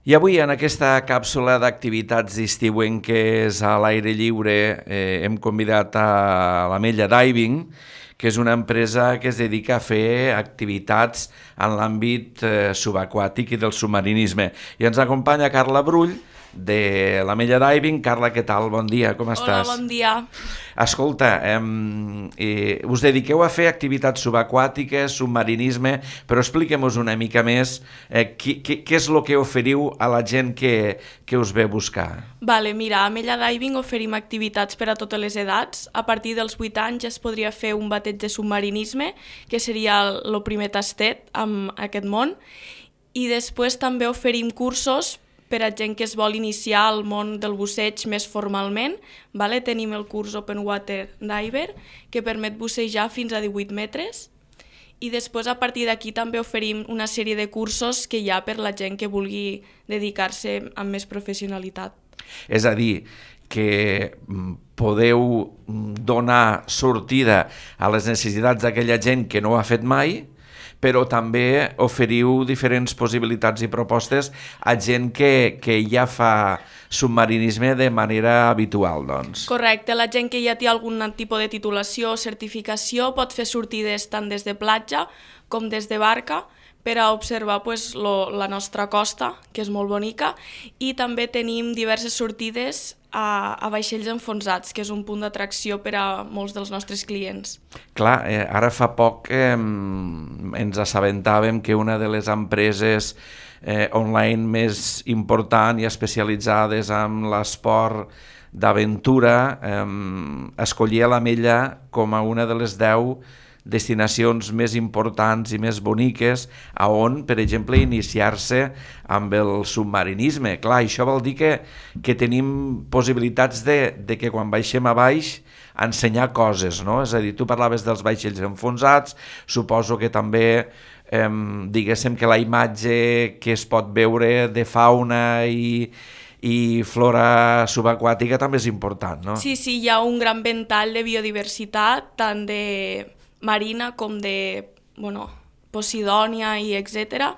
I avui, en aquesta càpsula d'activitats estiuenques a l'aire lliure, hem convidat a l'Ametlla Diving, que és una empresa que es dedica a fer activitats en l'àmbit subaquàtic i del submarinisme. I ens acompanya Carla Brull, de l'Ametlla Diving. Carla, què tal? Bon dia, com estàs? Hola, bon dia. Escolta, us dediqueu a fer activitats subaquàtiques, submarinisme, però expliquem-nos una mica més què és el que oferiu a la gent que us ve a buscar. Vale, mira, a Ametlla Diving oferim activitats per a totes les edats. A partir dels 8 anys ja es podria fer un bateig de submarinisme, que seria el primer tastet en aquest món, i després també oferim cursos per a gent que es vol iniciar al món del busseig més formalment. Vale? Tenim el curs Open Water Diver, que permet bussejar fins a 18 metres, i després a partir d'aquí també oferim una sèrie de cursos que hi ha per la gent que vulgui dedicar-se amb més professionalitat. És a dir, que podeu donar sortida a les necessitats d'aquella gent que no ho ha fet mai, però també oferiu diferents possibilitats i propostes a gent que ja fa submarinisme de manera habitual, doncs. Correcte, la gent que ja té algun tipus de titulació o certificació pot fer sortides tant des de platja com des de barca per a observar la nostra costa, que és molt bonica, i també tenim diverses sortides a vaixells enfonsats, que és un punt d'atracció per a molts dels nostres clients. Clar, ara fa poc ens assabentàvem que una de les empreses online més important i especialitzades en l'esport d'aventura escollia l'Ametlla com a una de les 10 destinacions més importants i més boniques a on, per exemple, iniciar-se amb el submarinisme. Clar, això vol dir que tenim possibilitats de que quan baixem a baix ensenyar coses, no? És a dir, tu parlaves dels vaixells enfonsats, suposo que també diguéssim que la imatge que es pot veure de fauna i flora subaquàtica també és important, no? Sí, hi ha un gran ventall de biodiversitat, tant de marina com de Posidònia i etc.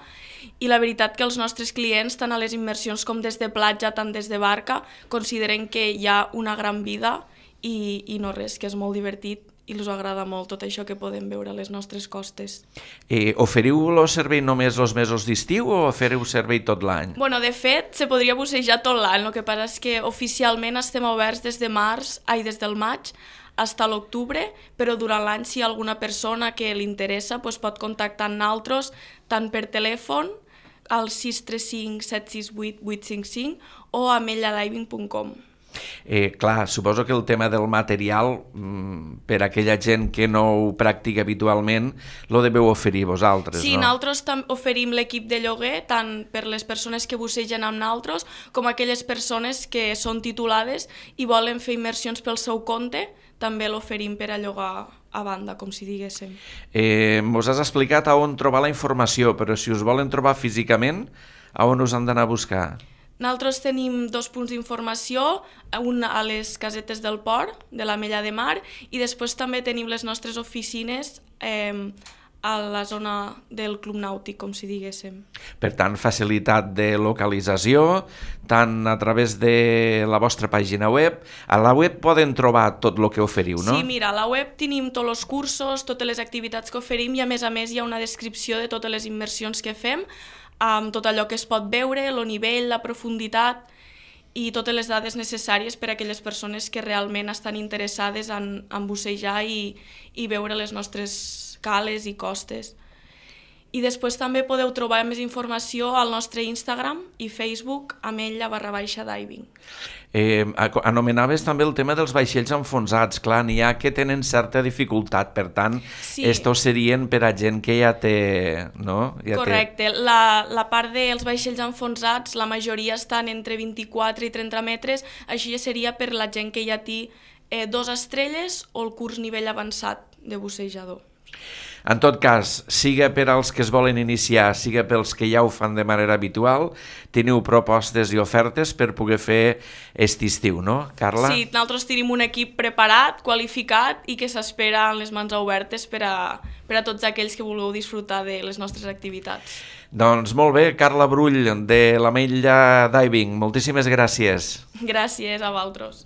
I la veritat que els nostres clients, tant a les immersions com des de platja, tant des de barca, consideren que hi ha una gran vida i no res, que és molt divertit i els agrada molt tot això que podem veure a les nostres costes. Oferiu el servei només els mesos d'estiu o oferiu servei tot l'any? De fet, se podria bussejar tot l'any, el que passa és que oficialment estem oberts des del maig fins a l'octubre, però durant l'any si hi ha alguna persona que li interessa pot contactar amb nosaltres tant per telèfon al 635 768 855 o a ametladiving.com. Clar, suposo que el tema del material per a aquella gent que no ho practica habitualment lo deveu oferir vosaltres, sí, no? Nosaltres oferim l'equip de lloguer tant per les persones que bussegen amb nosaltres com aquelles persones que són titulades i volen fer immersions pel seu compte, també l'oferim per a llogar a banda, com si diguéssim. Mos has explicat a on trobar la informació, però si us volen trobar físicament, a on us han d'anar a buscar? Nosaltres tenim 2 punts d'informació, un a les casetes del port, de l'Ametlla de Mar, i després també tenim les nostres oficines a la zona del Club Nàutic, com si diguéssim. Per tant, facilitat de localització, tant a través de la vostra pàgina web. A la web poden trobar tot el que oferiu, no? Sí, mira, a la web tenim tots els cursos, totes les activitats que oferim i a més hi ha una descripció de totes les immersions que fem, amb tot allò que es pot veure, el nivell, la profunditat i totes les dades necessàries per a aquelles persones que realment estan interessades en bussejar i veure les nostres cales i costes. I després també podeu trobar més informació al nostre Instagram i Facebook, ametlla_diving. Anomenaves també el tema dels vaixells enfonsats. Clar, n'hi ha que tenen certa dificultat, per tant, sí. Estos serien per a gent que ja té... No? Correcte. La part dels vaixells enfonsats, la majoria estan entre 24 i 30 metres, així seria per la gent que ja té 2 estrelles o el curs nivell avançat de bussejador. En tot cas, siga per als que es volen iniciar, siga pels que ja ho fan de manera habitual, teniu propostes i ofertes per poder fer aquest estiu, no, Carla? Sí, nosaltres tenim un equip preparat, qualificat i que s'espera amb les mans obertes per a tots aquells que vulgueu disfrutar de les nostres activitats. Doncs molt bé, Carla Brull, de l'Ametlla Diving, moltíssimes gràcies. Gràcies a vosaltres.